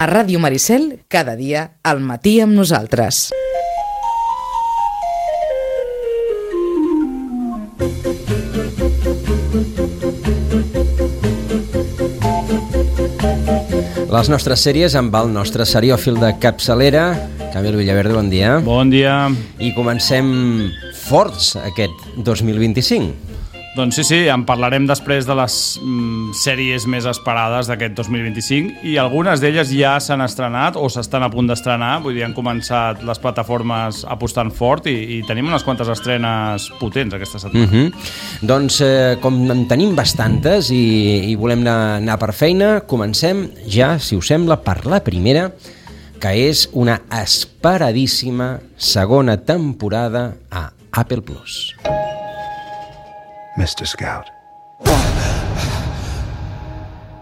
A Ràdio Maricel, cada dia, al matí amb nosaltres. Les nostres sèries amb el nostre seriòfil de capçalera, Camil Villaverde, bon dia. Bon dia. I comencem forts aquest 2025. Doncs sí, en parlarem després de les sèries més esperades d'aquest 2025 i algunes d'elles ja s'han estrenat o s'estan a punt d'estrenar, vull dir, han començat les plataformes apostant fort i tenim unes quantes estrenes potents aquesta setmana. Doncs com en tenim bastantes i volem anar per feina, comencem ja, si us sembla, per la primera, que és una esperadíssima segona temporada a Apple Plus. Mr. Scout.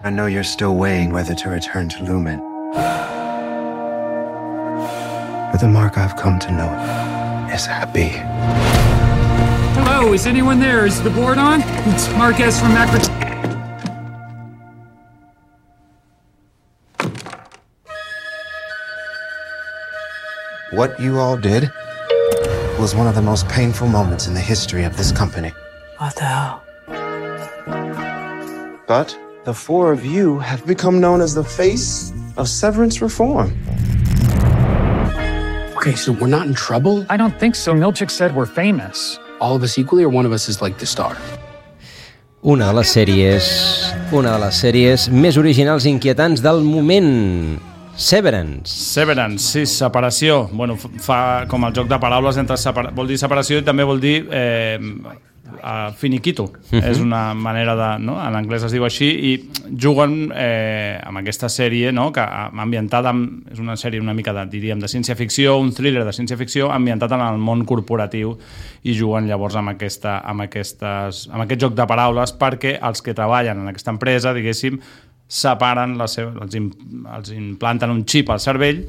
I know you're still weighing whether to return to Lumen. But the mark I've come to know is happy. Hello, is anyone there? Is the board on? It's Marquez from Macro... What you all did was one of the most painful moments in the history of this company. What the hell? But the four of you have become known as the face of severance reform. Okay, so we're not in trouble? I don't think so. Milchik said we're famous. All of us equally, or one of us is like the star? Una de les sèries més originals i inquietants del moment. Severance, sí, separació. Bueno, fa com el joc de paraules entre vol dir separació i també vol dir finiquito. És una manera de... No? En anglès es diu així i juguen amb aquesta sèrie, no? Que ambientada és una sèrie una mica diríem, de ciència-ficció, un thriller de ciència-ficció ambientat en el món corporatiu i juguen llavors amb aquest joc de paraules perquè els que treballen en aquesta empresa, diguéssim, separen els implanten un xip al cervell,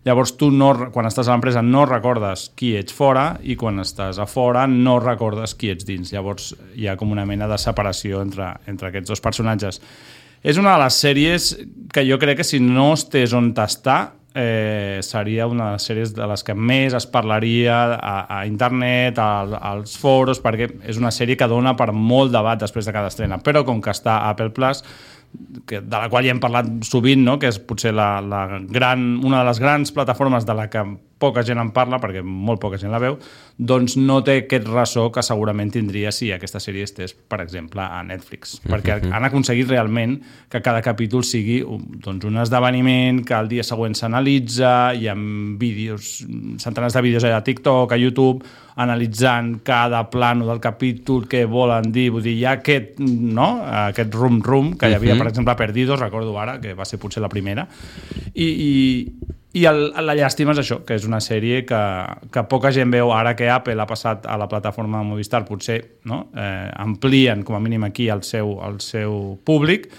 llavors tu quan estàs a l'empresa no recordes qui ets fora i quan estàs a fora no recordes qui ets dins, llavors hi ha com una mena de separació entre aquests dos personatges. És una de les sèries que jo crec que si no estés on t'està seria una de les sèries de les que més es parlaria a internet, als foros, perquè és una sèrie que dona per molt debat després de cada estrena, però com que està a Apple Plus, de la qual ja hem parlat sovint, no? Que és potser una de les grans plataformes de la que poca gent en parla, perquè molt poca gent la veu, doncs no té aquest ressò que segurament tindria si aquesta sèrie estés, per exemple, a Netflix. Perquè han aconseguit realment que cada capítol sigui un esdeveniment, que el dia següent s'analitza, hi ha vídeos, centenars de vídeos a TikTok, a YouTube, analitzant cada plano del capítol, què volen dir, vull dir, hi ha aquest rum-rum que hi havia, per exemple, a Perdidos, recordo ara, que va ser potser la primera, i la llàstima és això, que és una sèrie que poca gent veu ara que Apple ha passat a la plataforma Movistar, potser amplien com a mínim aquí el seu públic,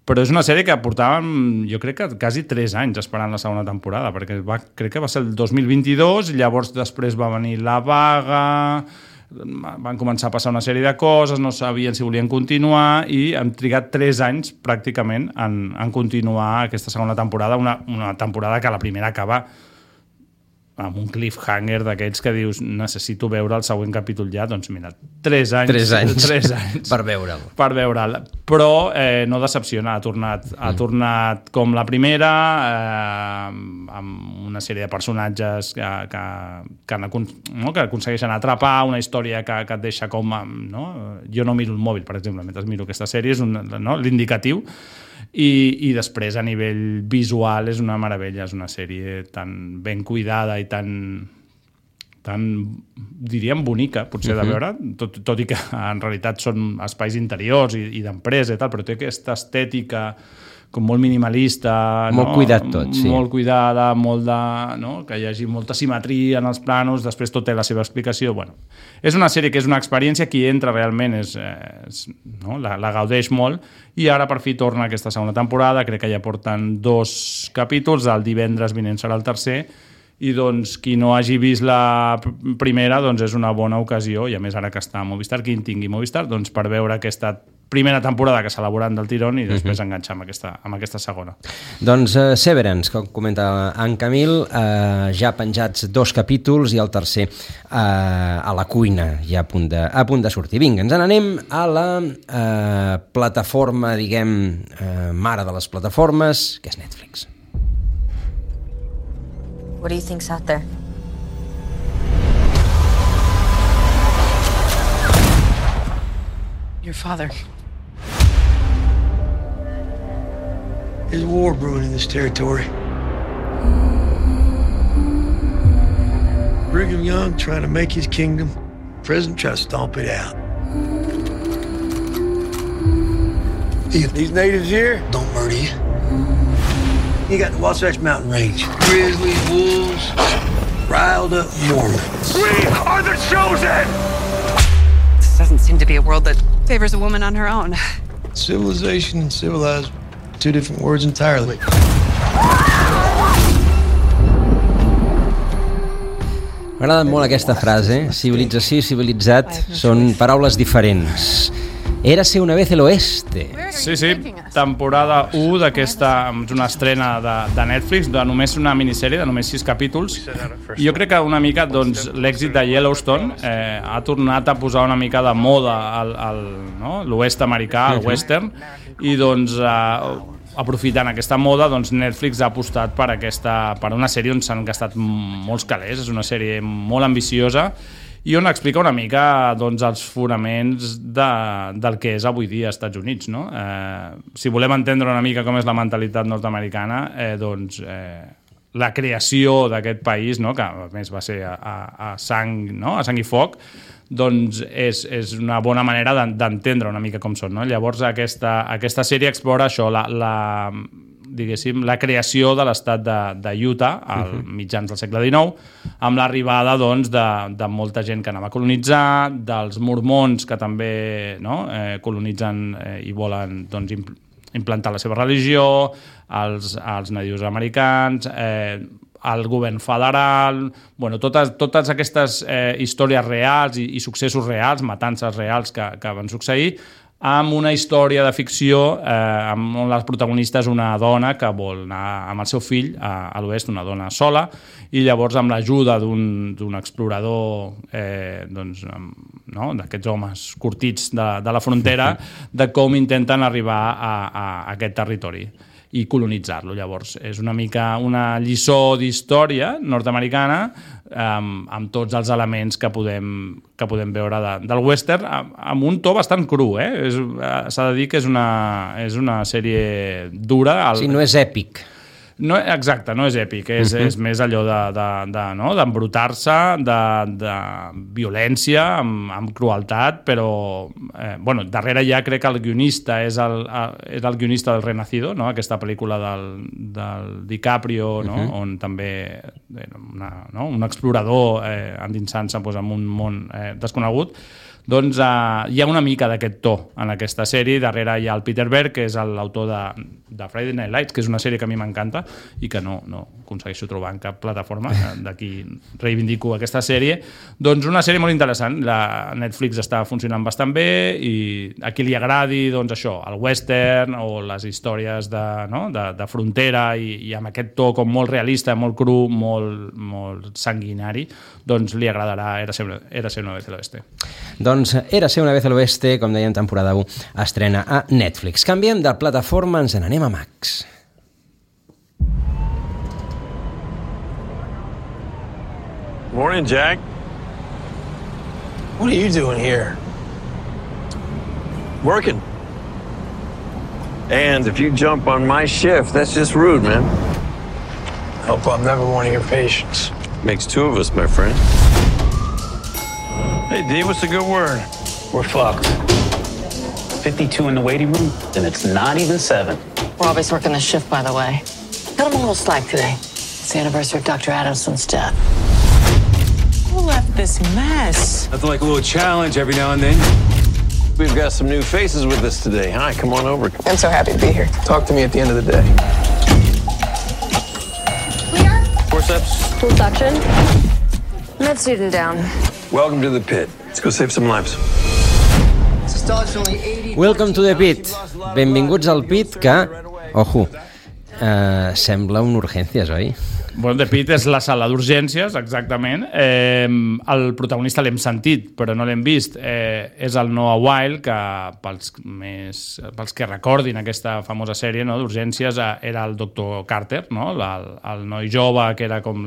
però és una sèrie que portàvem, jo crec que quasi 3 anys esperant la segona temporada, perquè crec que va ser el 2022, i llavors després va venir la vaga, van començar a passar una sèrie de coses, no sabien si volien continuar i han trigat 3 anys pràcticament en continuar aquesta segona temporada, una temporada que la primera acaba amb un cliffhanger d'aquells que dius necessito veure el següent capítol ja, doncs mira, 3 anys per veure'l. Però no decepciona, ha tornat com la primera, amb una sèrie de personatges que aconsegueixen atrapar, una història que et deixa com... No? Jo no miro el mòbil, per exemple, mentre miro aquesta sèrie, és l'indicatiu, i després a nivell visual és una meravella, és una sèrie tan ben cuidada i tan diríem bonica potser de veure, tot i que en realitat són espais interiors i d'empresa i tal, però té aquesta estètica com molt minimalista, molt cuidat tot, sí. Molt cuidada, que hi hagi molta simetria en els planos, després tot té la seva explicació. Bueno, és una sèrie que és una experiència, qui entra realment la gaudeix molt, i ara per fi torna aquesta segona temporada, crec que ja porten 2 capítols, el divendres vinent serà el tercer, i doncs qui no hagi vist la primera doncs és una bona ocasió, i a més ara que està a Movistar, qui en tingui Movistar, doncs per veure aquesta primera temporada que s'elaboren del tirón i després enganxar amb aquesta segona. Doncs Severance, com comenta en Camil, ja penjats 2 capítols i el tercer a la cuina, ja a punt de sortir. Vinga, ens n'anem a la plataforma, diguem, mare de les plataformes, que és Netflix. What do you think's out there? Your father. There's a war brewing in this territory. Brigham Young trying to make his kingdom. President trying to stomp it out. These natives here don't murder you. You got the Wasatch Mountain Range. Grizzlies, wolves, riled up Mormons. We are the chosen! This doesn't seem to be a world that favors a woman on her own. Civilization and civilized, 2 different words entirely. M'agrada molt aquesta frase, civilització i civilitzat són paraules diferents. Érase una vez el oeste. Sí, temporada 1 d'aquesta, és una estrena de Netflix, de només una minissèrie, de només 6 capítols. I jo crec que una mica doncs, l'èxit de Yellowstone ha tornat a posar una mica de moda l'oest americà, el western, i doncs aprofitant aquesta moda, doncs Netflix ha apostat per una sèrie on s'han gastat molts calés. És una sèrie molt ambiciosa i on explica una mica doncs, els fonaments del que és avui dia als Estats Units. No? Si volem entendre una mica com és la mentalitat nord-americana, doncs la creació d'aquest país, no? Que a més va ser a sang, no? A sang i foc, doncs és una bona manera d'entendre una mica com són. No? Llavors aquesta sèrie explora això, diguéssim, la creació de l'estat de Utah als mitjans del segle XIX, amb l'arribada doncs, de molta gent que anava a colonitzar, dels mormons que també colonitzen i volen doncs, implantar la seva religió, els nadius americans, el govern federal, bueno, totes aquestes històries reals i successos reals, matances reals que van succeir, amb una història de ficció on la protagonista és una dona que vol anar amb el seu fill a l'oest, una dona sola, i llavors amb l'ajuda d'un explorador d'aquests homes curtits de la frontera, de com intenten arribar a aquest territori i colonitzar-lo. Llavors, és una mica una lliçó d'història nord-americana amb tots els elements que podem veure del western, amb un to bastant cru. S'ha de dir que és una sèrie dura. Sí, no és èpic. No, exacte, no és èpic, és més allò d'embrutar-se, de violència, amb crueltat, però darrere ja crec que el guionista és el guionista del Renacido, no? Aquesta pel·lícula del DiCaprio, no? On també un explorador endinsant-se en un món desconegut. Doncs hi ha una mica d'aquest to en aquesta sèrie. Darrere hi ha el Peter Berg, que és l'autor de Friday Night Lights, que és una sèrie que a mi m'encanta i que no aconsegueixo trobar en cap plataforma. D'aquí reivindico aquesta sèrie. Doncs una sèrie molt interessant. La Netflix està funcionant bastant bé i a qui li agradi doncs això, el western o les històries de frontera i amb aquest to com molt realista, molt cru, molt sanguinari, doncs li agradarà Érase una vez el oeste. Doncs Érase una vez el oeste, com dèiem, temporada 1, estrena a Netflix. Canviem de plataforma, ens n'anem a Max. Morning, Jack. What are you doing here? Working. And if you jump on my shift, that's just rude, man. Hope I'm never one of your patients. Makes 2 of us, my friend. Hey, D, what's a good word? We're fucked. 52 in the waiting room, and it's not even 7. We're always working the shift, by the way. Cut him a little slack today. It's the anniversary of Dr. Adamson's death. Who left this mess? Nothing like a little challenge every now and then. We've got some new faces with us today. Hi, come on over. I'm so happy to be here. Talk to me at the end of the day. Clear? Forceps. Full suction. Med student down. Welcome to the pit. Let's go save some lives. This is Welcome to the pit. Benvinguts al pit que, ojo, sembla un Urgències, oi? Bueno, The Pit és la sala d'urgències, exactament. El protagonista l'hem sentit, però no l'hem vist. És el Noah Wyle, que pels que recordin aquesta famosa sèrie, no, d'urgències, era el Dr. Carter, no? El noi jove que era com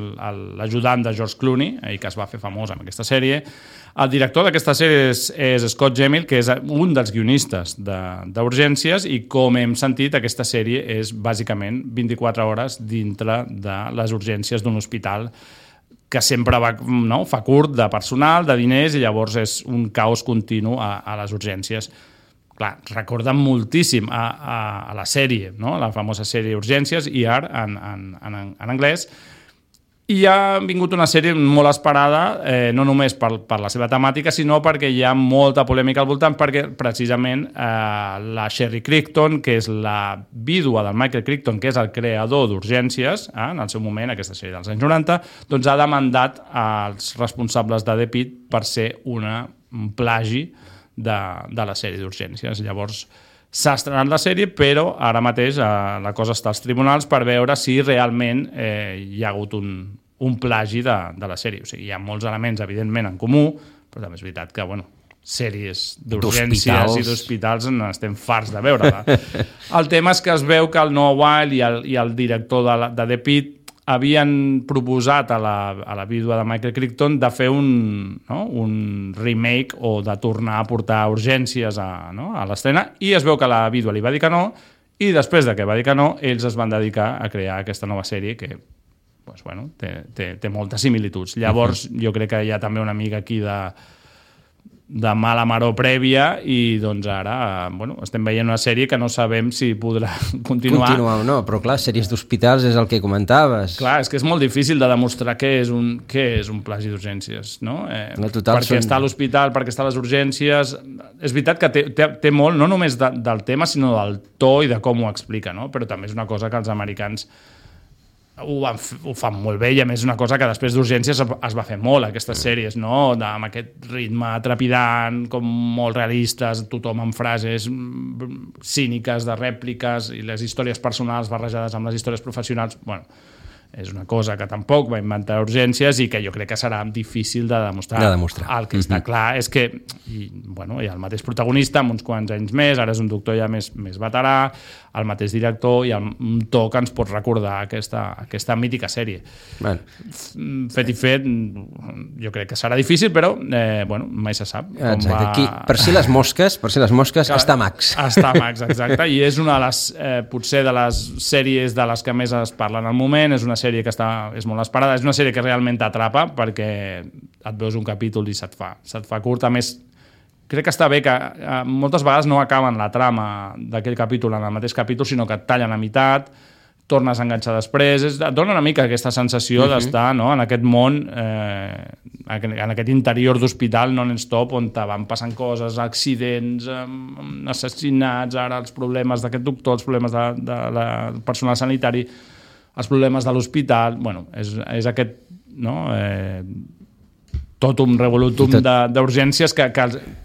l'ajudant de George Clooney i que es va fer famós en aquesta sèrie. El director d'aquesta sèrie és Scott Gemmell, que és un dels guionistes d'Urgències, i com hem sentit, aquesta sèrie és bàsicament 24 hores dintre de les urgències d'un hospital que sempre fa curt de personal, de diners, i llavors és un caos continu a les urgències. Clar, recorden moltíssim a la sèrie, no? La famosa sèrie Urgències, ER en anglès. I ha vingut una sèrie molt esperada, no només per la seva temàtica, sinó perquè hi ha molta polèmica al voltant, perquè precisament la Sherry Crichton, que és la vídua del Michael Crichton, que és el creador d'Urgències, en el seu moment, aquesta sèrie dels anys 90, doncs ha demandat als responsables de The Pit per ser un plagi de la sèrie d'Urgències. Llavors, s'ha estrenat la sèrie, però ara mateix la cosa està als tribunals per veure si realment hi ha hagut un plagi de la sèrie. O sigui, hi ha molts elements, evidentment, en comú, però també és veritat que, sèries d'urgències i d'hospitals n'estem farts de veure-la. El tema és que es veu que el Noah Wyle i el director de The Pit havien proposat a la vídua de Michael Crichton de fer un remake o de tornar a portar urgències a l'estrena, i es veu que la vídua li va dir que no, i després de que va dir que no, ells es van dedicar a crear aquesta nova sèrie que té moltes similituds. Llavors, jo crec que hi ha també una mica aquí de mala maror prèvia, i doncs ara estem veient una sèrie que no sabem si podrà continuar o no, però clar, sèries d'hospitals és el que comentaves. Clar, és que és molt difícil de demostrar què és un plagi d'urgències, no? Perquè està a l'hospital, perquè està a les urgències. És veritat que té molt, no només del tema, sinó del to i de com ho explica, no? Però també és una cosa que els americans ho fan molt bé, i a més és una cosa que després d'Urgències es va fer molt, aquestes sèries, no? Amb aquest ritme trepidant, com molt realistes, tothom amb frases cíniques, de rèpliques, i les històries personals barrejades amb les històries professionals. És una cosa que tampoc va inventar Urgències i que jo crec que serà difícil de demostrar. El que està clar és que hi ha el mateix protagonista amb uns quants anys més, ara és un doctor ja més veterà, el mateix director, i un to que ens pot recordar aquesta mítica sèrie. Fet i fet, jo crec que serà difícil, però mai se sap. Exacte, per si les mosques està Max. Està Max, exacte, i és una de les, potser de les sèries de les que més es parlen al moment, és una sèrie que és molt esperada, és una sèrie que realment t'atrapa perquè et veus un capítol i se't fa curt. A més, crec que està bé que moltes vegades no acaben la trama d'aquell capítol en el mateix capítol, sinó que et tallen a meitat, tornes a enganxar després, et dona una mica aquesta sensació d'estar en aquest món, en aquest interior d'hospital non-stop, on te van passant coses, accidents, assassinats, ara els problemes d'aquest doctor, els problemes del personal sanitari, els problemes de l'hospital. És aquest totum revolutum d'urgències que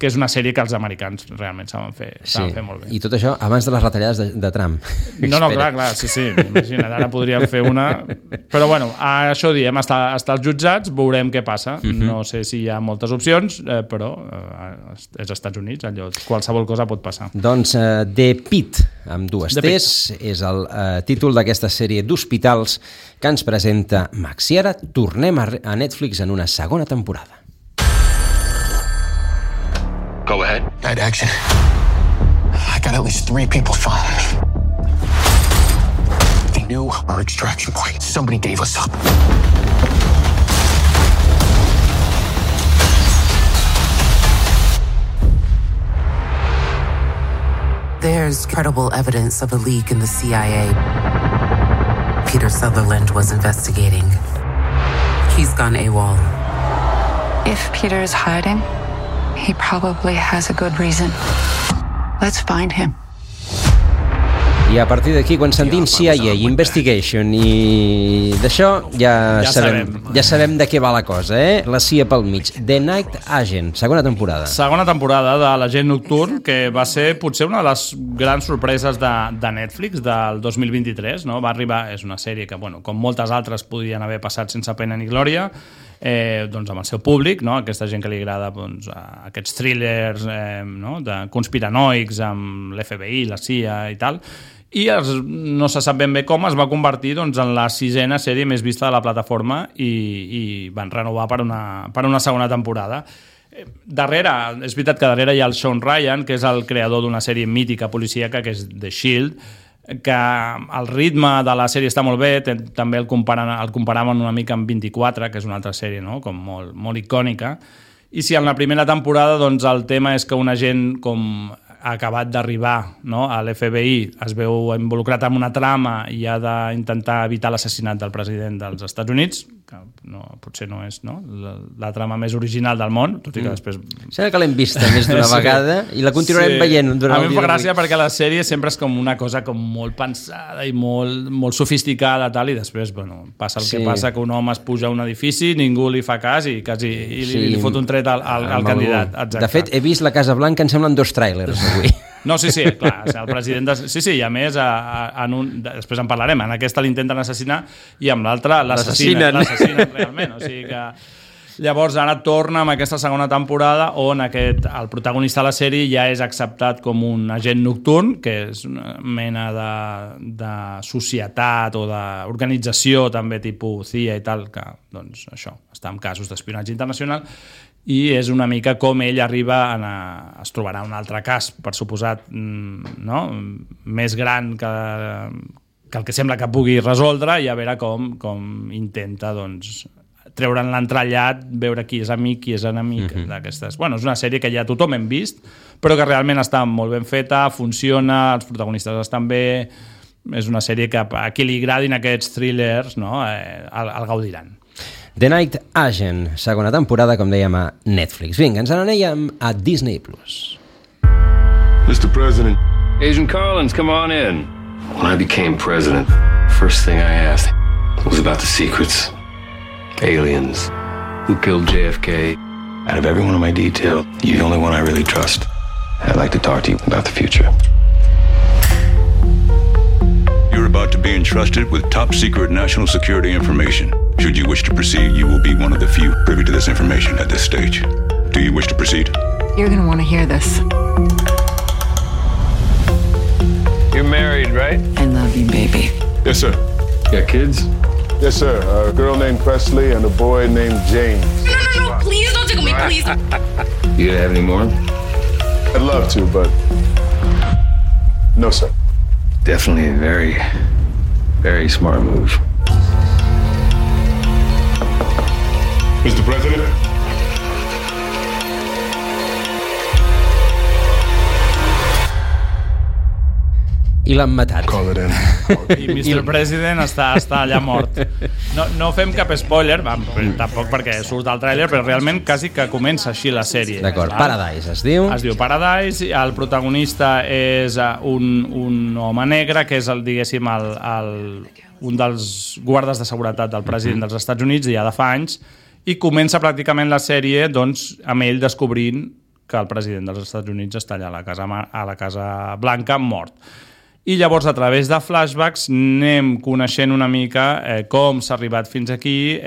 és una sèrie que els americans realment saben fer molt bé. I tot això abans de les retallades de Trump. No, clar, sí, imagina't, ara podríem fer una... Però això diem, hasta els jutjats veurem què passa. No sé si hi ha moltes opcions, però és Estats Units, allò, qualsevol cosa pot passar. Doncs The Pit, amb dues T's, és el títol d'aquesta sèrie d'hospitals que ens presenta Max. I ara tornem a Netflix en una segona temporada. Go ahead. Night action. I got at least 3 people shot. They knew our extraction point. Somebody gave us up. There's credible evidence of a leak in the CIA. Peter Sutherland was investigating. He's gone AWOL. If Peter's hiding, he probably has a good reason. Let's find him. I a partir d'aquí, quan sentim CIA, Investigation i d'això ja sabem de què va la cosa, La CIA pel mig. The Night Agent, segona temporada. Segona temporada de l'Agent Nocturn, que va ser potser una de les grans sorpreses de Netflix del 2023, no? Va arribar, és una sèrie que, bueno, com moltes altres podien haver passat sense pena ni glòria, doncs amb el seu públic, no? Aquesta gent que li agrada doncs, aquests thrillers no? De conspiranoics amb l'FBI, la CIA i tal, i no se sap ben bé com es va convertir doncs, en la 6ª sèrie més vista de la plataforma i van renovar per una segona temporada. Darrere, és veritat que darrere hi ha el Sean Ryan, que és el creador d'una sèrie mítica policíaca que és The Shield, que el ritme de la sèrie està molt bé, també el comparaven una mica amb 24, que és una altra sèrie, no? Com molt icònica, i si en la primera temporada doncs, el tema és que un agent com ha acabat d'arribar, no? A l'FBI, es veu involucrat en una trama i ha d'intentar evitar l'assassinat del president dels Estats Units, que potser no és la trama més original del món, tot i que després... Sembla que l'hem vista més d'una vegada i la continuarem veient durant el dia. A mi em fa gràcia perquè la sèrie sempre és com una cosa com molt pensada i molt sofisticada tal, i després passa el que passa, que un home es puja a un edifici, ningú li fa cas i li fot un tret al candidat. De fet, he vist la Casa Blanca, em semblen 2 tràilers avui. No, sí, clar, el president... Sí, i a més, després en parlarem, en aquesta l'intenten assassinar i amb l'altra l'assassinen realment, o sigui que... Llavors ara torna amb aquesta segona temporada on el protagonista de la sèrie ja és acceptat com un agent nocturn, que és una mena de societat o d'organització també tipus CIA i tal, que doncs això, està en casos d'espionatge internacional, i és una mica com ell arriba es trobarà un altre cas, per suposat, no? Més gran que el que sembla que pugui resoldre, i a veure com intenta doncs, treure'n l'entrellat, veure qui és amic, qui és enemic d'aquestes. Bueno, és una sèrie que ja tothom hem vist, però que realment està molt ben feta, funciona, els protagonistes estan bé, és una sèrie que a qui li agradin aquests thrillers, no? El gaudiran. The Night Agent, segona temporada, com dèiem, a Netflix. Vinga, ens n'anèiem a Disney+. Mr. President. Agent Collins, come on in. When I became president, first thing I asked was about the secrets. Aliens. Who killed JFK? Out of every one of my details, you're the only one I really trust. I'd like to talk to you about the future. You're about to be entrusted with top-secret national security information. Should you wish to proceed, you will be one of the few privy to this information at this stage. Do you wish to proceed? You're gonna want to hear this. You're married, right? I love you, baby. Yes, sir. Got kids? Yes, sir. A girl named Presley and a boy named James. No, please don't tickle me, please. You gonna have any more? I'd love to, but no, sir. Definitely a very, very smart move. Mr. President. I l'han matat. I Mr. President està allà mort. No fem cap spoiler, tampoc perquè surt al tràiler, però realment quasi que comença així la sèrie. D'acord, Paradise es diu. Es diu Paradise, el protagonista és un home negre, que és diguéssim, un dels guardes de seguretat del president dels Estats Units, ja de fa anys, i comença pràcticament la sèrie doncs, amb ell descobrint que el president dels Estats Units està allà a la Casa Blanca mort. I llavors, a través de flashbacks, anem coneixent una mica com s'ha arribat fins aquí,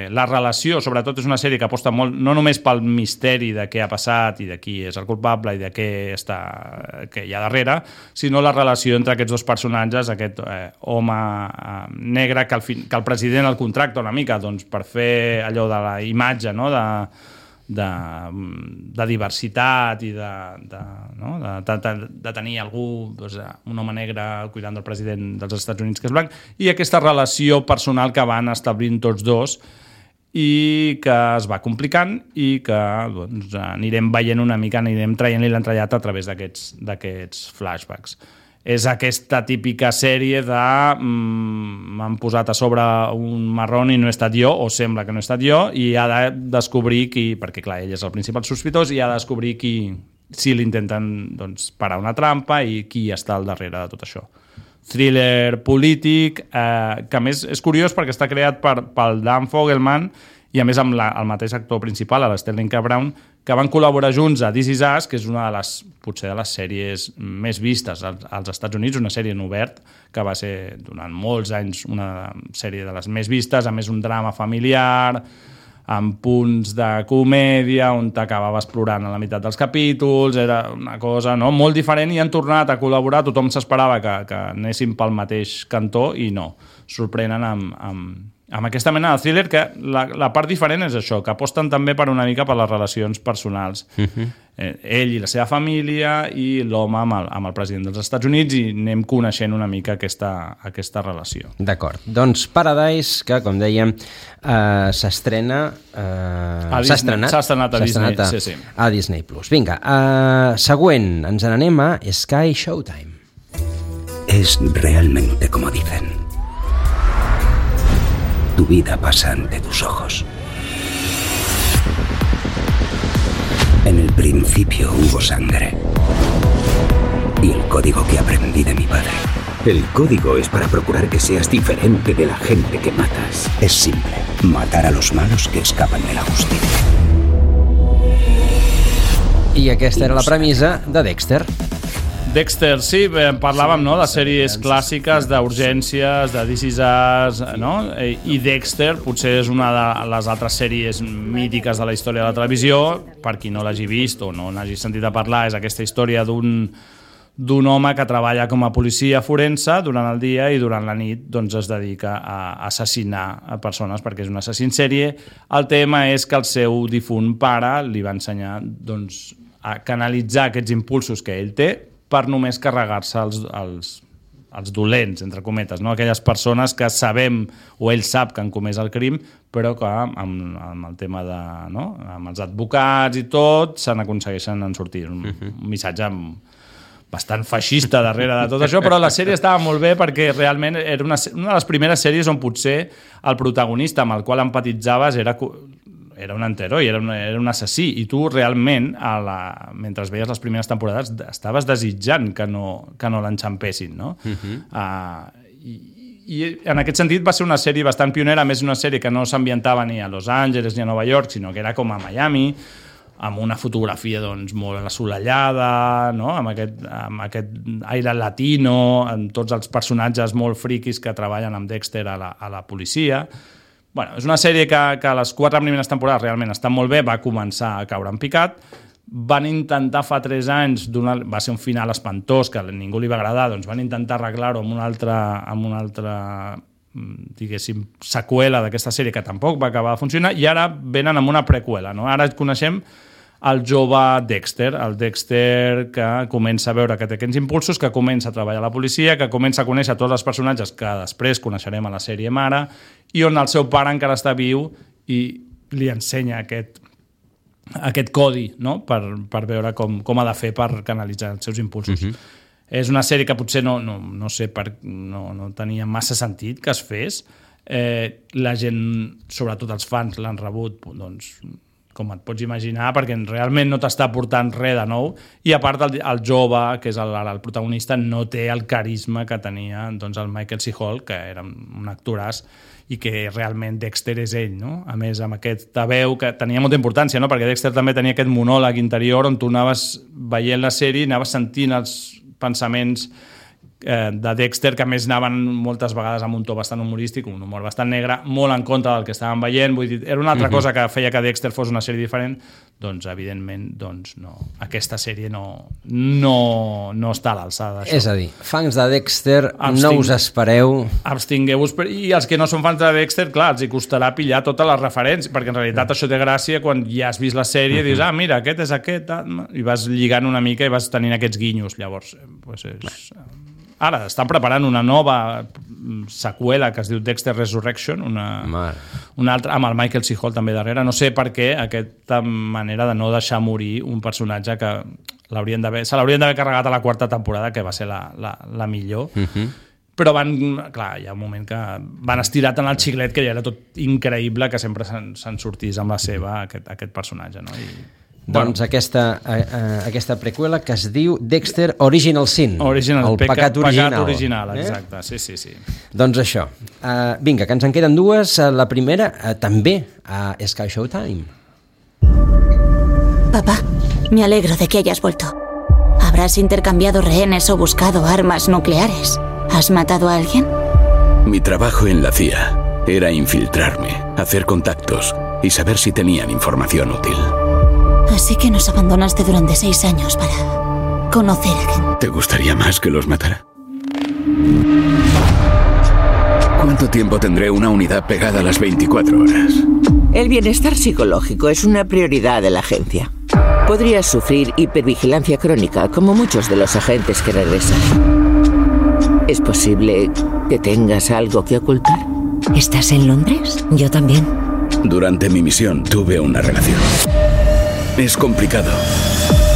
la relació, sobretot és una sèrie que aposta molt, no només pel misteri de què ha passat i de qui és el culpable i de què hi ha darrere, sinó la relació entre aquests dos personatges, aquest home negre que el president el contracta una mica doncs, per fer allò de la imatge, no?, de diversitat i de tenir algú, doncs, un home negre cuidant del president dels Estats Units que és blanc, i aquesta relació personal que van establint tots dos i que es va complicant i que doncs, anirem veient una mica, anirem traient-li l'entrellat a través d'aquests flashbacks. És aquesta típica sèrie de m'han posat a sobre un marrón i no he estat jo, o sembla que no he estat jo, i ha de descobrir qui, perquè clar, ell és el principal sospitós, i ha de descobrir qui, si l'intenten doncs, parar una trampa i qui està al darrere de tot això. thriller polític, que a més és curiós perquè està creat pel Dan Fogelman i a més amb el mateix actor principal, l'Sterling K. Brown, que van col·laborar junts a This Is Us, que és una de les, potser de les sèries més vistes als Estats Units, una sèrie en obert, que va ser durant molts anys una sèrie de les més vistes, a més un drama familiar, amb punts de comèdia, on t'acabaves plorant a la meitat dels capítols, era una cosa molt diferent, i han tornat a col·laborar, tothom s'esperava que anessin pel mateix cantó, i no, sorprenen amb aquesta mena de thriller, que la part diferent és això, que aposten també per una mica per les relacions personals. Ell i la seva família i l'home amb el president dels Estats Units, i anem coneixent una mica aquesta relació. D'acord. Doncs Paradise, que com dèiem s'estrena... S'ha estrenat a Disney. Sí. A Disney+. Vinga, següent, ens n'anem a Sky Showtime. Es realmente como dicen. Tu vida pasa ante tus ojos. En el principio hubo sangre. Y el código que aprendí de mi padre. El código es para procurar que seas diferente de la gente que matas. Es simple. Matar a los malos que escapan de la justicia. I aquesta era la premissa de Dexter. Dexter, sí, parlàvem de sèries clàssiques, d'urgències, de This Is Us, i Dexter potser és una de les altres sèries mítiques de la història de la televisió. Per qui no l'hagi vist o no n'hagi sentit a parlar, és aquesta història d'un home que treballa com a policia forense durant el dia i durant la nit es dedica a assassinar a persones perquè és un assassí en sèrie. El tema és que el seu difunt pare li va ensenyar a canalitzar aquests impulsos que ell té per només carregar-se els dolents, entre cometes, aquelles persones que sabem, o ell sap que han comès el crim, però que amb el tema amb els advocats i tot, se n'aconsegueixen en sortir. Un missatge bastant feixista darrere de tot això, però la sèrie estava molt bé perquè realment era una de les primeres sèries on potser el protagonista amb el qual empatitzaves era un antiheroi, era un assassí, i tu realment, mentre veies les primeres temporades, estaves desitjant que no l'enxampessin, no? I en aquest sentit va ser una sèrie bastant pionera, més una sèrie que no s'ambientava ni a Los Angeles ni a Nova York, sinó que era com a Miami, amb una fotografia molt assolellada, amb aquest aire latino, amb tots els personatges molt friquis que treballen amb Dexter a la policia. És una sèrie que a les 4 primeres temporades realment està molt bé, va començar a caure en picat, van intentar fa 3 anys, va ser un final espantós que a ningú li va agradar, doncs van intentar arreglar-ho amb una altra diguéssim, seqüela d'aquesta sèrie que tampoc va acabar de funcionar, i ara venen amb una preqüela. Ara coneixem el jove Dexter, el Dexter que comença a veure que té aquests impulsos, que comença a treballar a la policia, que comença a conèixer tots els personatges que després coneixerem a la sèrie mare, i on el seu pare encara està viu i li ensenya aquest codi, per veure com ha de fer per canalitzar els seus impulsos. És una sèrie que potser no tenia massa sentit que es fes. La gent, sobretot els fans, l'han rebut com et pots imaginar, perquè realment no t'està aportant res de nou, i a part el jove, que és el protagonista, no té el carisma que tenia el Michael C. Hall, que era un actoràs, i que realment Dexter és ell, a més amb aquesta veu que tenia molta importància, perquè Dexter també tenia aquest monòleg interior on tu anaves veient la sèrie i anaves sentint els pensaments de Dexter, que a més anaven moltes vegades amb un to bastant humorístic, un humor bastant negre, molt en contra del que estàvem veient. Vull dir, era una altra cosa que feia que Dexter fos una sèrie diferent. Evidentment, no. Aquesta sèrie no està a l'alçada d'això. És a dir, fans de Dexter, no us espereu. Abstingueu-vos, i els que no són fans de Dexter, clar, els hi costarà pillar totes les referències, perquè en realitat això té gràcia quan ja has vist la sèrie i dius, mira, aquest és aquest, i vas lligant una mica i vas tenint aquests guinyos. Llavors, ara estan preparant una nova seqüela que es diu Dexter Resurrection, una altra, amb el Michael C. Hall també darrere. No sé per què aquesta manera de no deixar morir un personatge que se l'haurien d'haver carregat a la 4ª temporada, que va ser la millor. Però clar, hi ha un moment que van estirar tant el xiclet que ja era tot increïble que sempre se'n sortís amb la seva aquest personatge, no? Doncs aquesta preqüela que es diu Dexter Original Sin. El pecat original. Pecat original, exacte, sí. Doncs això. Vinga, que ens en queden dues. La primera, també, a Sky Showtime. Papá, me alegro de que hayas vuelto. ¿Habrás intercambiado rehenes o buscado armas nucleares? ¿Has matado a alguien? Mi trabajo en la CIA era infiltrarme, hacer contactos y saber si tenían información útil. Así que nos abandonaste durante 6 años para conocer a gente. ¿Te gustaría más que los matara? ¿Cuánto tiempo tendré una unidad pegada a las 24 horas? El bienestar psicológico es una prioridad de la agencia. Podrías sufrir hipervigilancia crónica, como muchos de los agentes que regresan. ¿Es posible que tengas algo que ocultar? ¿Estás en Londres? Yo también. Durante mi misión tuve una relación. Es complicado.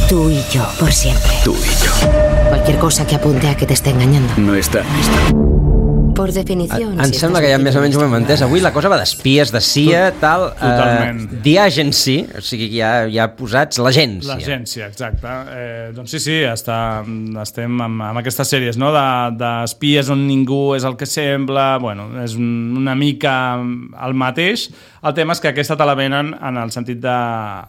Tú y yo, por siempre. Tú y yo. Cualquier cosa que apunte a que te esté engañando. No está lista. Por definició... Em sembla que ja més o menys ho hem entès. Avui la cosa va d'espies, de CIA, tal... Totalment. The Agency, o sigui que ja posats l'agència. L'agència, exacte. Doncs sí, estem amb aquestes sèries, no?, d'espies on ningú és el que sembla, bueno, és una mica el mateix. El tema és que aquesta te la venen en el sentit de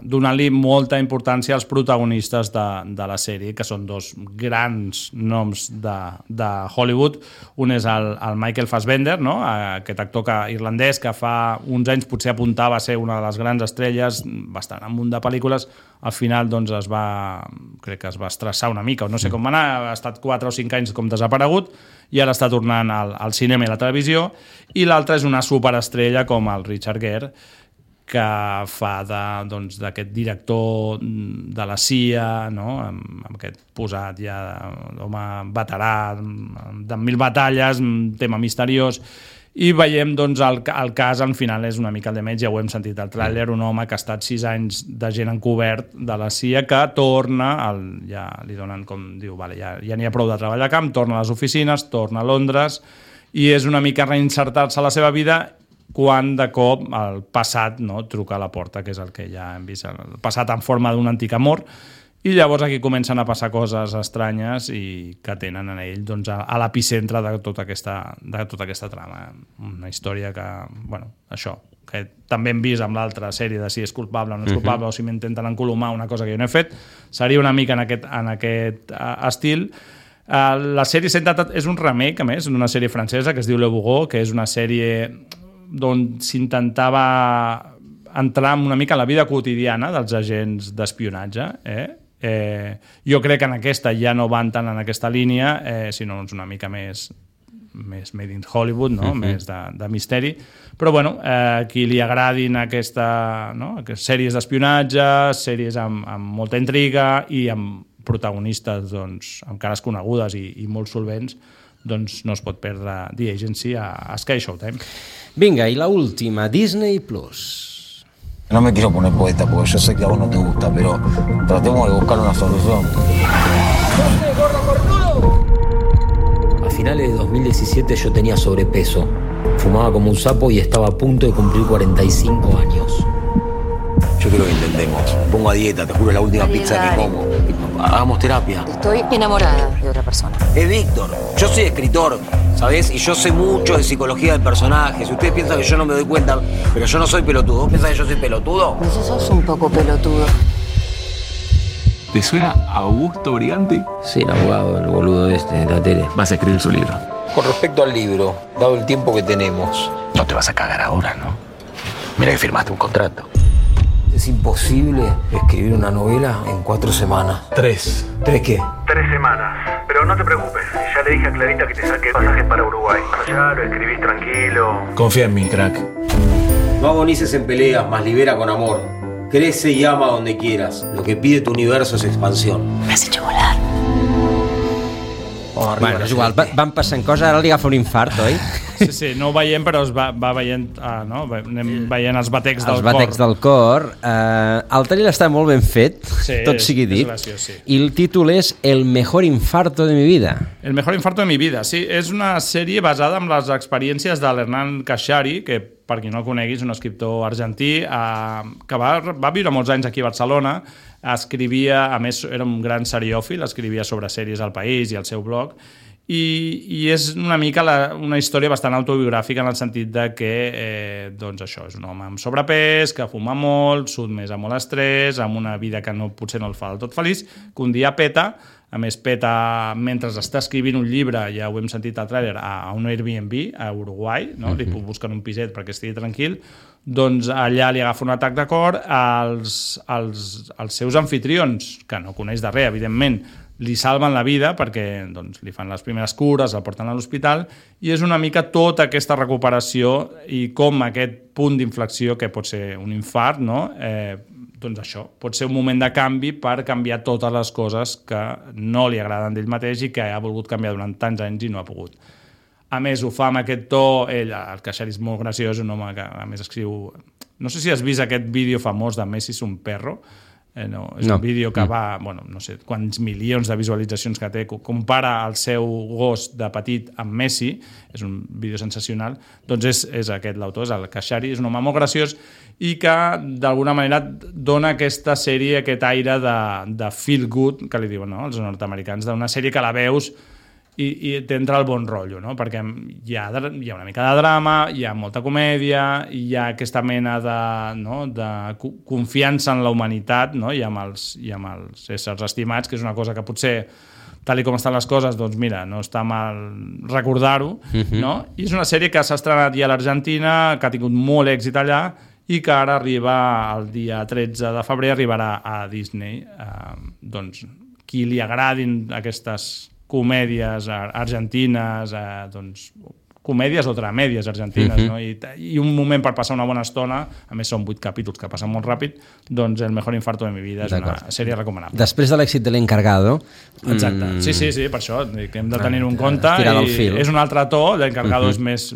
donar-li molta importància als protagonistes de la sèrie, que són dos grans noms de Hollywood. Un és el Michael Fassbender, no?, aquest actor irlandès que fa uns anys potser apuntava a ser una de les grans estrelles, bastant en un munt de pel·lícules. Al final doncs crec que es va estressar una mica, o no sé com va anar, ha estat 4 o 5 anys com desaparegut, i ara està tornant al cinema i la televisió. I l'altre és una superestrella com el Richard Gere, que fa d'aquest director de la CIA, no?, amb aquest posat ja d'home veterà, de 1000 batalles, tema misteriós. I veiem, doncs, el cas, al final, és una mica el de menys, ja ho hem sentit al tràiler, un home que ha estat 6 anys de gent encobert de la CIA, que torna, ja li donen, com diu, vale, ja n'hi ha prou de treball a camp, torna a les oficines, torna a Londres, i és una mica reinsertar-se a la seva vida quan, de cop, el passat, no?, truca a la porta, que és el que ja hem vist, el passat en forma d'un antic amor. I llavors aquí comencen a passar coses estranyes i que tenen en ell, doncs, a l'epicentre de tota aquesta trama. Una història que, bueno, això, que també hem vist amb l'altra sèrie de si és culpable o no és culpable, o si m'intenten encolomar una cosa que jo no he fet, seria una mica en aquest estil. La sèrie és un remake, a més, d'una sèrie francesa que es diu Le Bourreau, que és una sèrie on s'intentava entrar una mica en la vida quotidiana dels agents d'espionatge, jo crec que en aquesta ja no van tant en aquesta línia, sinó una mica més made in Hollywood, no? Més de misteri, però bueno, qui li agradin aquestes sèries d'espionatge, sèries amb molta intriga i amb protagonistes, doncs, amb cares conegudes i molt solvents, doncs no es pot perdre The Agency a Sky Showtime. Vinga, i l'última, Disney Plus. No me quiero poner poeta porque yo sé que a vos no te gusta, pero tratemos de buscar una solución. A finales de 2017 yo tenía sobrepeso, fumaba como un sapo y estaba a punto de cumplir 45 años. Yo quiero que intentemos. Pongo a dieta, te juro, la última pizza que como. Hagamos terapia. Estoy enamorada de otra persona. Es Víctor. Yo soy escritor, ¿sabés? Y yo sé mucho de psicología del personaje. Si ustedes piensan que yo no me doy cuenta, pero yo no soy pelotudo. ¿Vos pensás que yo soy pelotudo? Pues sos un poco pelotudo. ¿Te suena Augusto Briganti? Sí, el abogado, el boludo de la tele. Vas a escribir su libro. Con respecto al libro, dado el tiempo que tenemos... No te vas a cagar ahora, ¿no? Mira que firmaste un contrato. Es imposible escribir una novela en 4 semanas. 3. ¿3 qué? 3 semanas. Pero no te preocupes, ya le dije a Clarita que te saque pasajes para Uruguay. Allá lo escribís tranquilo. Confía en mí, crack. No agonices en peleas, más libera con amor. Crece y ama donde quieras. Lo que pide tu universo es expansión. Me has hecho volar. Bueno, és igual, van passant coses, ara li agafa un infart, oi? Sí, no ho veiem, però es va veient, no? Anem veient els batecs del cor. Els batecs del cor. El trailer està molt ben fet, tot sigui dit. Graciós, sí. I el títol és El mejor infarto de mi vida. El mejor infarto de mi vida, sí. És una sèrie basada en les experiències de l'Hernan Kashari, que per qui no el conegui, és un escriptor argentí que va viure molts anys aquí a Barcelona, escrivia, a més era un gran seriòfil, escrivia sobre sèries al País i al seu blog, i és una mica una història bastant autobiogràfica en el sentit de que doncs això, és un home amb sobrepès, que fuma molt, sotmès a molt estrès, amb una vida que potser no el fa del tot feliç, que un dia peta, a més peta mentre està escrivint un llibre, ja ho hem sentit al tràiler, a un Airbnb a Uruguai, no? Li busquen un piset perquè estigui tranquil, doncs allà li agafa un atac de cor, els seus anfitrions, que no coneix de res, evidentment, li salven la vida perquè doncs, li fan les primeres cures, el porten a l'hospital, i és una mica tota aquesta recuperació i com aquest punt d'inflexió, que pot ser un infart, no? Doncs això, pot ser un moment de canvi per canviar totes les coses que no li agraden d'ell mateix i que ha volgut canviar durant tants anys i no ha pogut. A més, ho fa amb aquest to, ell, el Kashari és molt graciós, un home que a més escriu... No sé si has vist aquest vídeo famós de Messi és un perro, no, és un vídeo que va, bueno, no sé quants milions de visualitzacions que té, compara el seu gos de petit amb Messi, és un vídeo sensacional, doncs és aquest l'autor, és el Kashari, és un home molt graciós i que d'alguna manera dona aquesta sèrie, aquest aire de feel good, que li diuen els nord-americans, d'una sèrie que la veus i t'entra el bon rotllo, no? Perquè hi ha una mica de drama, hi ha molta comèdia, hi ha aquesta mena de confiança en la humanitat, no? I amb els éssers estimats, que és una cosa que potser, tal com estan les coses, doncs mira, no està mal recordar-ho, no? I és una sèrie que s'ha estrenat ja a l'Argentina, que ha tingut molt èxit allà, i que ara arriba el dia 13 de febrer, arribarà a Disney. Doncs qui li agradin aquestes comèdies argentines, doncs, comèdies o dramèdies argentines, no? I un moment per passar una bona estona, a més són 8 capítols que passen molt ràpid, doncs El mejor infarto de mi vida és una sèrie recomanable. Després de l'èxit de L'Encargado... Exacte, sí, per això que hem de tenir-ho en compte, i és un altre to, L'Encargado és més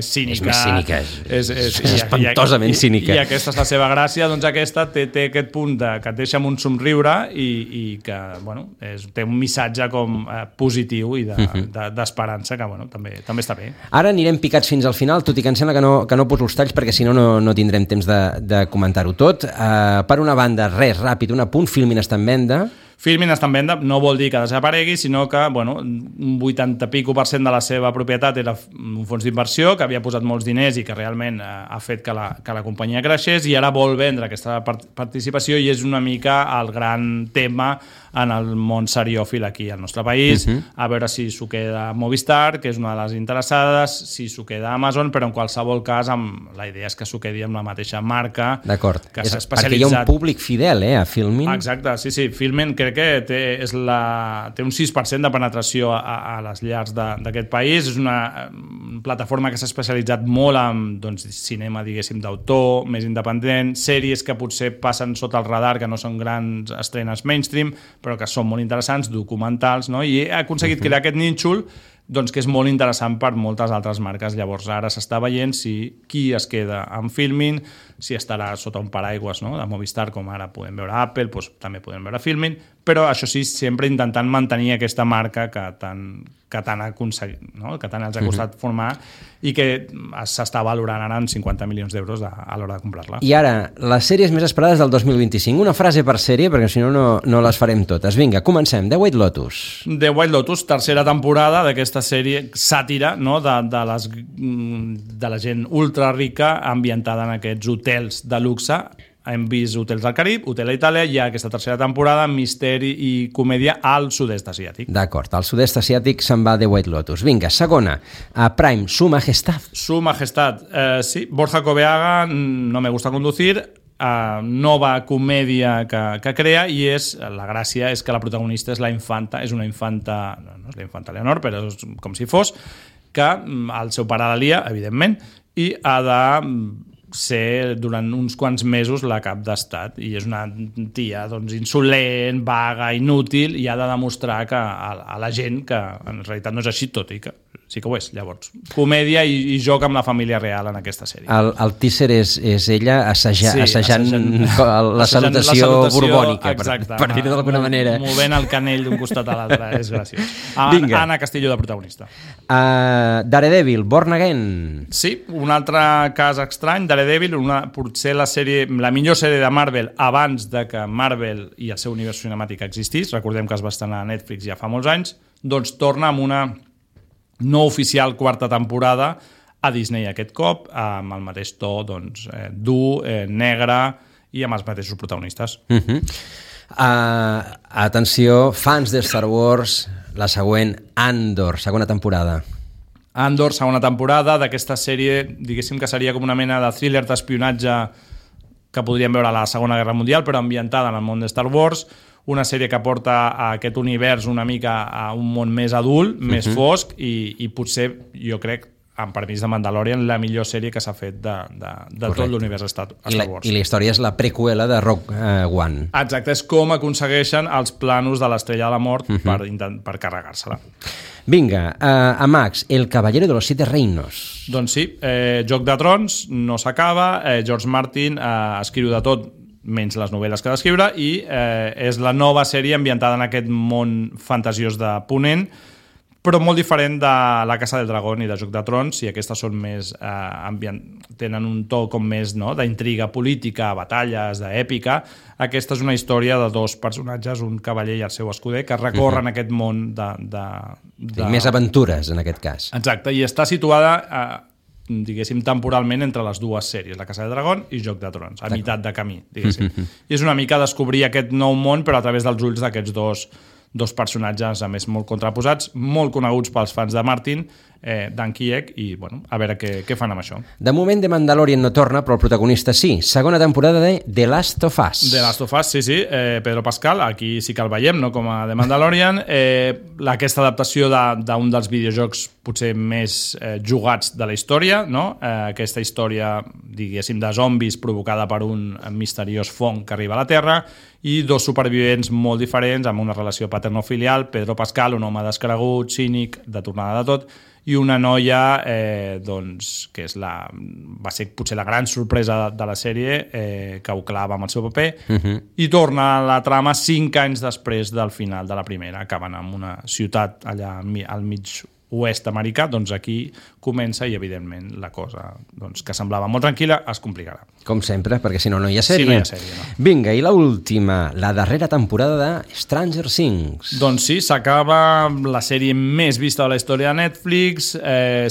cínica. És més cínica, és espantosament cínica. I aquesta és la seva gràcia, doncs aquesta té aquest punt que et deixa amb un somriure i que, bueno, té un missatge com positiu i d'esperança, que, bueno, també està bé. Ara anirem picats fins al final, tot i que em sembla que no poso els talls perquè si no tindrem temps de comentar-ho tot. Per una banda, res, ràpid, un apunt, Filmin està en venda. Filmin està en venda, no vol dir que desaparegui, sinó que un 80% de la seva propietat era un fons d'inversió que havia posat molts diners i que realment ha fet que la companyia creixés, i ara vol vendre aquesta participació, i és una mica el gran tema en el món seriòfil aquí al nostre país, a veure si s'ho queda Movistar, que és una de les interessades, si s'ho queda Amazon, però en qualsevol cas la idea és que s'ho quedi amb la mateixa marca. D'acord, que s'ha especialitzat. Perquè hi ha un públic fidel a Filmin. Exacte, sí, Filmin crec que té un 6% de penetració a les llars d'aquest país. És una plataforma que s'ha especialitzat molt en cinema, diguéssim, d'autor, més independent, sèries que potser passen sota el radar, que no són grans estrenes mainstream, però que són molt interessants, documentals, no? I ha aconseguit crear aquest nínxol, doncs, que és molt interessant per moltes altres marques. Llavors ara s'està veient qui es queda amb Filmin, si estarà sota un paraigües, no?, de Movistar, com ara podem veure Apple, doncs també podem veure Filmin, però això sí, sempre intentant mantenir aquesta marca que tant ha aconseguit, no?, que tant els ha costat formar, i que s'està valorant ara en 50 milions d'euros a l'hora de comprar-la. I ara, les sèries més esperades del 2025. Una frase per sèrie, perquè si no les farem totes. Vinga, comencem. The White Lotus. The White Lotus, tercera temporada d'aquesta sèrie sàtira, no?, de la gent ultra rica ambientada en aquests hotels de luxe. Hem vist Hotels del Carib, Hotel a Itàlia, i aquesta tercera temporada, misteri i comèdia al sud-est asiàtic. D'acord, al sud-est asiàtic se'n va The White Lotus. Vinga, segona, a Prime, Su Majestad. Su Majestad, sí, Borja Coveaga, No me gusta conducir, nova comèdia que crea, i la gràcia és que la protagonista és la infanta, és una infanta, no és la infanta Leonor, però és com si fos, que el seu pare la lia, evidentment, i ha de ser durant uns quants mesos la cap d'estat, i és una tia doncs, insolent, vaga, inútil, i ha de demostrar que a la gent que en realitat no és així, tot i que sí que ho és. Llavors, comèdia i joc amb la família real en aquesta sèrie. El teaser és ella assajant la salutació borbònica, per dir-ho d'alguna manera. Movent el canell d'un costat a l'altre, és graciós. Anna Castillo de protagonista. Daredevil, Born Again. Sí, un altre cas estrany, Daredevil, potser la millor sèrie de Marvel abans de que Marvel i el seu univers cinemàtic existís. Recordem que es va estrenar a Netflix ja fa molts anys. Doncs torna amb una no oficial quarta temporada a Disney aquest cop, amb el mateix to dur, negre i amb els mateixos protagonistes. Atenció, fans de Star Wars, la següent, Andor, segona temporada. Andor, segona temporada d'aquesta sèrie, diguéssim que seria com una mena de thriller d'espionatge que podríem veure a la Segona Guerra Mundial, però ambientada en el món de Star Wars, una sèrie que porta a aquest univers una mica a un món més adult, més fosc, i potser, jo crec, amb permís de Mandalorian, la millor sèrie que s'ha fet de tot l'univers Star Wars. I la història és la preqüela de Rogue One. Exacte, és com aconsegueixen els planos de l'Estrella de la Mort per carregar-se-la. Vinga, a Max, El Caballero de los Siete Reinos. Doncs sí, Joc de Trons no s'acaba, George Martin escriu de tot menys les novel·les que ha d'escriure, i és la nova sèrie ambientada en aquest món fantasiós de Ponent, però molt diferent de La Casa del Dragón i de Joc de Trons, i aquestes són més tenen un to com més d'intriga política, batalles, d'èpica. Aquesta és una història de dos personatges, un cavaller i el seu escuder, que recorren aquest món més aventures, en aquest cas. Exacte, i està situada diguéssim, temporalment entre les dues sèries, La Casa del Dragón i Joc de Trons, a meitat de camí, diguéssim. I és una mica descobrir aquest nou món, però a través dels ulls d'aquests dos personatges, a més, molt contraposats, molt coneguts pels fans de Martin, Dan Kiek, i a veure què fan amb això. De moment, The Mandalorian no torna, però el protagonista sí. Segona temporada de The Last of Us. The Last of Us, sí. Pedro Pascal, aquí sí que el veiem, no com a The Mandalorian. Aquesta adaptació d'un dels videojocs potser més jugats de la història, no? Aquesta història, diguéssim, de zombis provocada per un misteriós fong que arriba a la Terra, i dos supervivents molt diferents, amb una relació paterno-filial, Pedro Pascal, un home descregut, cínic, de tornada de tot, i una noia que va ser potser la gran sorpresa de la sèrie, que ho clava amb el seu paper, i torna a la trama 5 anys després del final de la primera. Acaben en una ciutat allà al mig oest americà, doncs aquí comença, i evidentment la cosa que semblava molt tranquil·la es complicarà. Com sempre, perquè si no hi ha sèrie. Si no hi ha sèrie, no. Vinga, i l'última, la darrera temporada de Stranger Things. Doncs sí, s'acaba la sèrie més vista de la història de Netflix.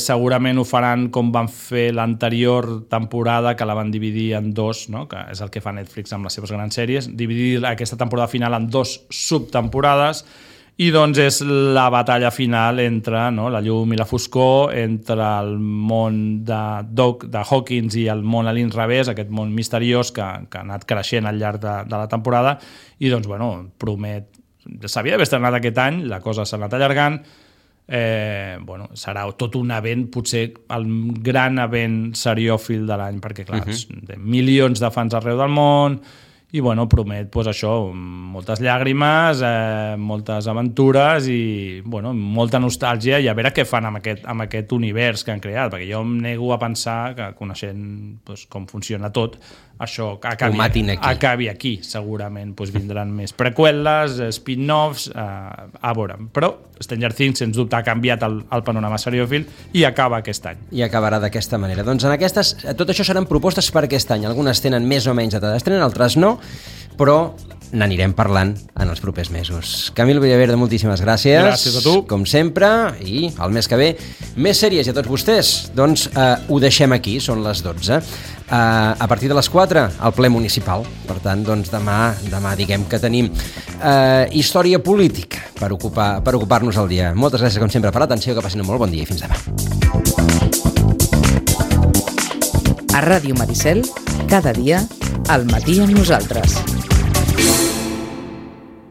Segurament ho faran com van fer l'anterior temporada, que la van dividir en dos, no? Que és el que fa Netflix amb les seves grans sèries, dividir aquesta temporada final en 2 subtemporades. I doncs és la batalla final entre la llum i la foscor, entre el món de Hawkins i el món a l'inrevés, aquest món misteriós que ha anat creixent al llarg de la temporada, i doncs, promet... S'havia d'haver estrenat aquest any, la cosa s'ha anat allargant, serà tot un event, potser el gran event seriòfil de l'any, perquè clar, milions de fans arreu del món, i promet això, moltes llàgrimes, moltes aventures i molta nostàlgia, i a veure què fan amb aquest univers que han creat, perquè jo em nego a pensar que, coneixent com funciona tot, això acabi aquí. Segurament vindran més preqüeles, spin-offs, a veure. Però Stranger Things, sens dubte, ha canviat el panorama seriòfil i acaba aquest any. I acabarà d'aquesta manera. Doncs en aquestes, tot això seran propostes per aquest any. Algunes tenen més o menys data d'estrena, altres no, però n'anirem parlant en els propers mesos. Camil Villaverde, moltíssimes gràcies. Gràcies a tu. Com sempre, i el mes que ve, més sèries, i a tots vostès. Doncs ho deixem aquí, són les 12. A partir de les 4, al ple municipal. Per tant, doncs demà diguem que tenim història política per ocupar-nos el dia. Moltes gràcies, com sempre, per l'atenció, que passin un molt bon dia i fins demà. A Ràdio Maricel, cada dia, al matí amb nosaltres.